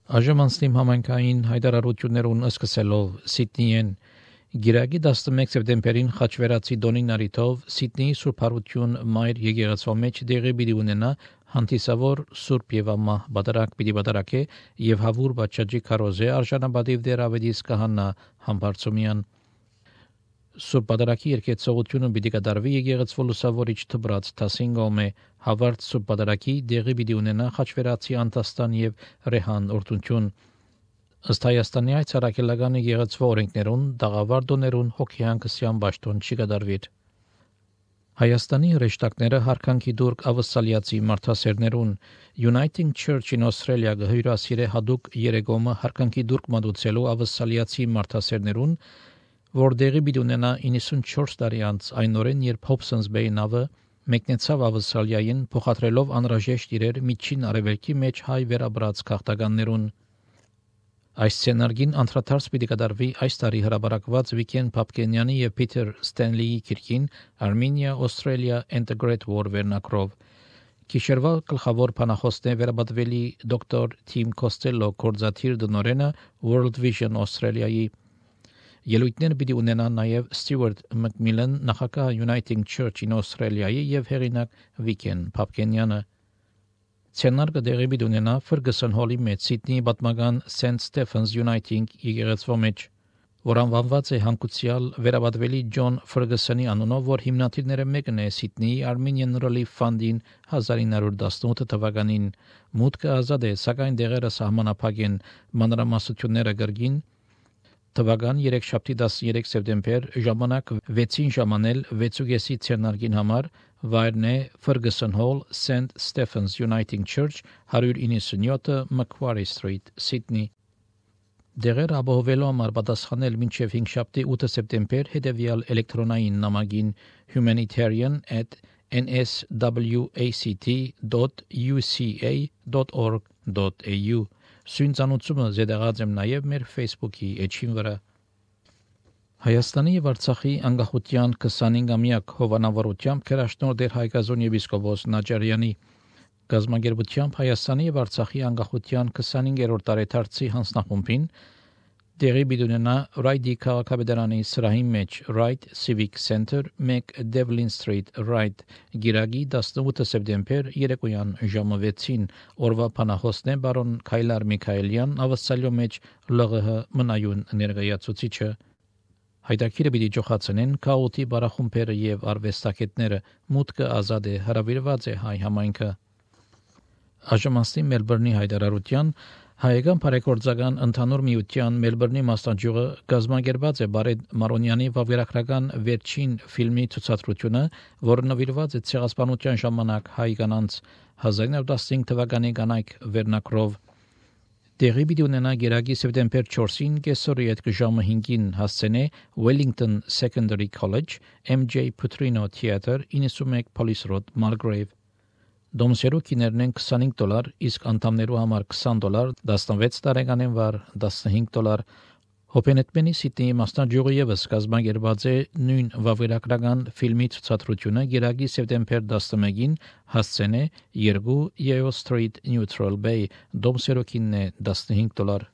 Այժմ անցնիմ համայնքային հայտարարություններուն սկսելով Սիդնիեն Գիրագի 11 սեպտեմբերին խաչվերացի Դոնին արիթով Սիդնեի Սուրբ Հարություն Մայր եկեղեցու մեջ դեղի պիտի ունենա հանդիսավոր Սուրբ եւ Ամա բادرակ պիտի բادرակե եւ հավուր բաճաճի քարոզե արժանապատիվ դեր ավետիս կահանա Համբարձումյան Սուրբ բادرակի երկեցողությունը պիտի կատարվի եկեղեցու լուսավորիչ թբրած Թասինգոմե հավարտ Սուրբ բادرակի դեղի պիտի ունենա խաչվերացի Անտաստան եւ Ռեհան օրդունչուն Ըստ Հայաստանի այցարակելական եկեղեցու օրենքներուն դաղավարդոներուն հոգեհանգստյան ճաշտոն չի կատարվիր Հայաստանի հրեշտակները հարկանքի դուրք ավսալիացի մարդասերներուն Uniting Church in Australia գհյուրասիրե հadouk երեգոմը հարկանքի դուրք մատուցելու ավսալիացի մարդասերներուն որ դեղի պիտի ունենա 94 տարի անց այն օրեն երբ Hobsons Bay նավը մեկնեցավ ավսալիային փոխադրելով անհրաժեշտ իրեր միջին արևելքի մեջ հայ վերաբրած քաղաքականներուն Այս սցենարգին անդրադարձ պիտի կատարվի այս տարի հրապարակված Վիկեն Փափկենյանի եւ Փիթեր Ստենլիի քիրքին Armenia Australia and the Great War վերնակրով Քիշերվա գլխավոր բանախոսն է վերաբացվելի դոկտոր Թիմ Կոստելլո կորզաթիր դնորենը World Vision Australia-ի Ելույթներ պիտի ունենան նաեւ Ստյուարտ Մակմիլան նախագահ Uniting Church in Australia-ի եւ հեղինակ Վիկեն Փափկենյանը Ցենարգը դեղի պիտի ունենա Ferguson Hall-ի մեջ Սիդնեի պատմական St. Stephen's Uniting եկեղեցու մեջ, որ անվանված է հանգուցյալ վերաբադվելի Ջոն Ֆերգուսոնի անունով, որ հիմնադիրները մեկն է Սիդնեի Armenian Relief Fund-ին 1918 թվականին մուտքը ազատ է, սակայն դեղերը սահմանափակ են մանրամասնությունները գրգին Թվական 3-13 սեպտեմբեր ժամանակ 6-ին ժամանել 6:30 ցերնարգին համար վայրն է Ferguson Hall St. Stephen's Uniting Church 197 Macquarie Street Sydney Դեղեր ապահովելու համար պատասխանել մինչև 5 8 սեպտեմբեր հետևյալ էլեկտրոնային նամակին humanitarian@nswact.uca.org.au Սույնցանուցումը զետեղած եմ նաև մեր Facebook-ի էջին վրա Հայաստանի եւ Արցախի անկախության 25-ամյակ հովանավորությամբ քրաշնոր դեր Հայկազոն եպիսկոպոս Նաճարյանի գազագերբությամբ Հայաստանի եւ Արցախի անկախության 25-րդ տարեդարձի հանձնախումբին դեղի բիդունենա Ռայդի քաղաքապետարանի սրահի մեջ Wright Civic Center 1 Devlin Street Wright Գիրագի 18 սեպտեմբեր երեկոյան ժամը 6-ին օրվա փանախոսն է բարոն Քայլար Միքայելյան ավսալյո մեջ ԼՂՀ մնայուն ներկայացուցիչը Հայտակիրը պիտի ջոխացնեն քաոտի բարախումբերը եւ արվեստագետները մուտքը ազատ է հրավիրված է հայ համայնքը Աժմաստի Մելբուրնի հայտարարության Հայկական բարեգործական ընդհանուր միության Մելբուրնի մասնաճյուղը գազագերբած է Բարեդ Մարոնյանի վավերագրական վերջին ֆիլմի ցուցադրությունը, որը նվիրված է ցեղասպանության ժամանակ հայ կանանց 1915 թվականի կանայք վերնակրով Դեղի պիտի ունենա գերագի սեպտեմբեր 4-ին կեսօրի այդ ժամը 5-ին հասցենե Wellington Secondary College MJ Putrino Theatre 91 Police Road Mulgrave Դոմսերու կիներն են $25, իսկ անդամներու համար $20, 16 տարեկանին վար $15 Հոպենետմենի Սիդնեի մասնաճյուղը ևս կազմակերպած է նույն վավերագրական ֆիլմի ցուցադրությունը գերագի սեպտեմբեր 11-ին հասցենե 2 Yeo Street Neutral Bay Դոմսերու կինն է $15